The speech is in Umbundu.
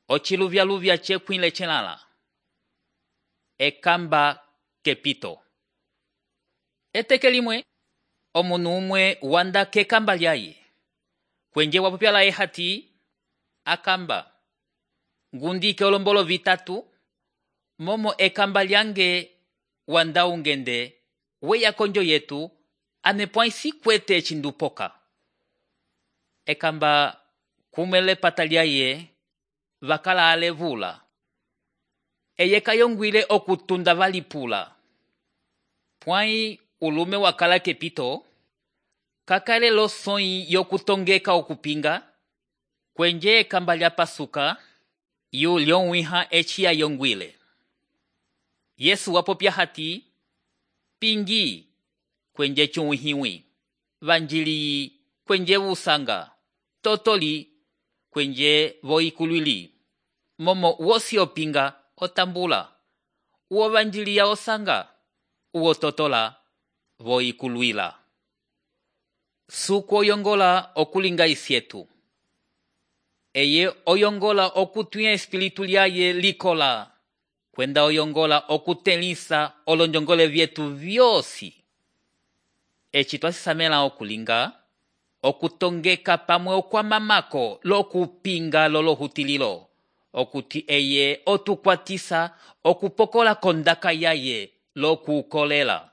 ociluvyaluvya cekwile celala. Ekamba kepito. Eteke limwe, omunu umwe wanda kekamba lyaye. Kwenje wapopyala ehati, akamba. Ngundike olombolo vitatu, momo ekamba lyange wanda ungende, weya konjo yetu, anepwaisi kwete chindupoka. Ekamba kumele patalyaye, vakala alevula. Eye kayongwile okutunda valipula. Pwai ulume wakala kepito, kakale lo soi yokutongeka okupinga, kwenje ekamba lya pasuka, yu lyonwiha echia yongwile. Yesu wapopya hati, pingi, kwenje chunwihiwi, vanjili, kwenje usanga, totoli, kwenje voikulwili. Momo wosi opinga, otambula, uo vanjili ya osanga, uo totola, voikulwila. Suku oyongola okulinga isietu. Eye oyongola okutuya espiritu lyaye likola, kwenda oyongola okutelisa olonjongole vyetu vyosi. Eci twasisamela okulinga, okutongeka pamwe okwamamako lokupinga lolohutililo, okuti eye otukwatisa okupokola kondaka yaye lokukolela.